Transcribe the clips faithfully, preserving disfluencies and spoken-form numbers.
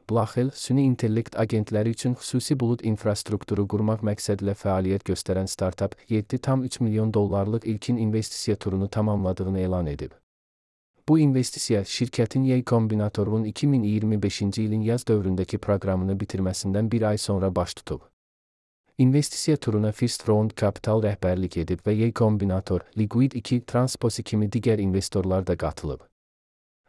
Blaxel, süni intellekt agentləri üçün xüsusi bulud infrastrukturu qurmaq məqsədilə fəaliyyət göstərən startap yeddi tam üç milyon dollarlıq ilkin investisiya turunu tamamladığını elan edib. Bu investisiya şirkətin Y Combinator'un iki min iyirmi beşinci ilin yaz dövründəki proqramını bitirməsindən bir ay sonra baş tutub. İnvestisiya turuna First Round Capital rəhbərlik edib və Y Combinator, Liquid iki, Transposi kimi digər investorlar da qatılıb.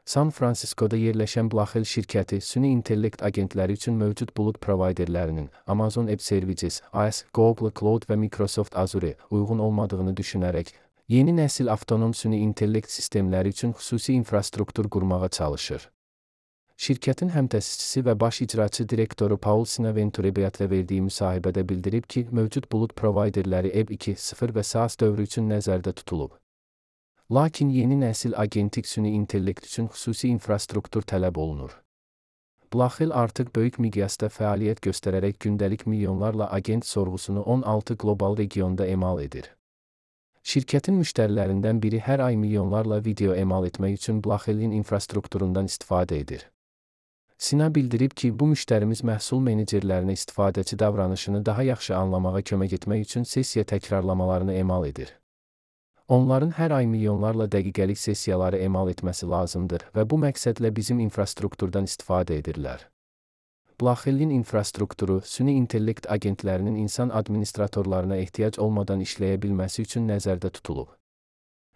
San Francisco'da yerləşən Blaxel şirkəti süni intellekt agentləri üçün mövcud bulud provayderlərinin Amazon Web Services, A S, Google Cloud və Microsoft Azure uyğun olmadığını düşünərək, yeni nəsil avtonom süni intellekt sistemləri üçün xüsusi infrastruktur qurmağa çalışır. Şirkətin həmtəsisçisi və baş icraçı direktoru Paul Sinaventurebiatlə verdiyi müsahibədə bildirib ki, mövcud bulud provayderləri E B iki nöqtə sıfır və SaaS dövrü üçün nəzərdə tutulub. Lakin yeni nəsil agentik süni intellekt üçün xüsusi infrastruktur tələb olunur. Blaxel artıq böyük miqyasda fəaliyyət göstərərək gündəlik milyonlarla agent sorğusunu on altı qlobal regionda emal edir. Şirkətin müştərilərindən biri hər ay milyonlarla video emal etmək üçün Blaxelin infrastrukturundan istifadə edir. Sina bildirib ki, bu müştərimiz məhsul menecerlərinə istifadəçi davranışını daha yaxşı anlamağa kömək etmək üçün sessiya təkrarlamalarını emal edir. Onların hər ay milyonlarla dəqiqəlik sessiyaları emal etməsi lazımdır və bu məqsədlə bizim infrastrukturdan istifadə edirlər. Blaxelin infrastrukturu süni intellekt agentlərinin insan administratorlarına ehtiyac olmadan işləyə bilməsi üçün nəzərdə tutulub.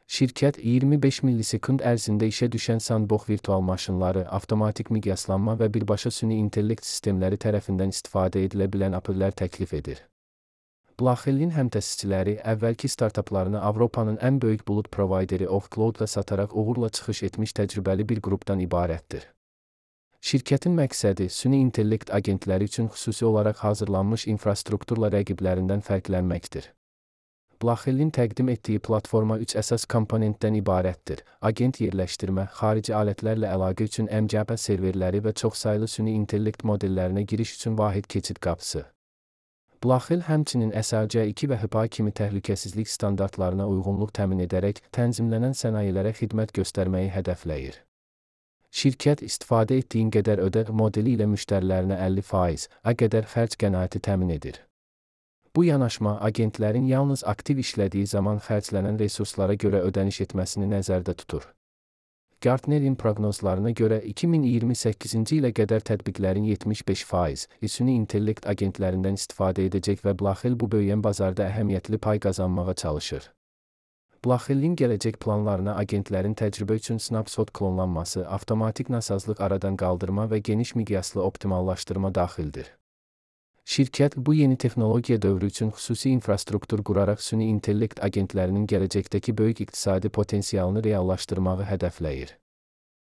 Şirkət iyirmi beş millisekund ərzində işə düşən sandbox virtual maşınları, avtomatik miqyaslanma və birbaşa süni intellekt sistemləri tərəfindən istifadə edilə bilən apellər təklif edir. Blaxelin həmtəsisçiləri əvvəlki startaplarını Avropanın ən böyük bulud provayderi Offcloud-la sataraq uğurla çıxış etmiş təcrübəli bir qrupdan ibarətdir. Şirkətin məqsədi süni intellekt agentləri üçün xüsusi olaraq hazırlanmış infrastrukturla rəqiblərindən fərqlənməkdir. Blaxelin təqdim etdiyi platforma üç əsas komponentdən ibarətdir: agent yerləşdirmə, xarici alətlərlə əlaqə üçün M C P serverləri və çoxsaylı süni intellekt modellərinə giriş üçün vahid keçid qapısı. Blaxel həmçinin S A C iki və H I P A kimi təhlükəsizlik standartlarına uyğunluq təmin edərək tənzimlənən sənayelərə xidmət göstərməyi hədəfləyir. Şirkət istifadə etdiyin qədər ödə modeli ilə müştərilərinə əlli faiz ə qədər xərc qənaəti təmin edir. Bu yanaşma agentlərin yalnız aktiv işlədiyi zaman xərclənən resurslara görə ödəniş etməsini nəzərdə tutur. Gartnerin proqnozlarına görə iki min iyirmi səkkizinci ilə qədər tətbiqlərin yetmiş beş faiz süni intellekt agentlərindən istifadə edəcək və Blaxel bu böyüyən bazarda əhəmiyyətli pay qazanmağa çalışır. Blaxelin gələcək planlarına agentlərin təcrübə üçün snapshot klonlanması, avtomatik nasazlıq aradan qaldırma və geniş miqyaslı optimallaşdırma daxildir. Şirkət bu yeni texnologiya dövrü üçün xüsusi infrastruktur quraraq süni intellekt agentlərinin gələcəkdəki böyük iqtisadi potensialını reallaşdırmağı hədəfləyir.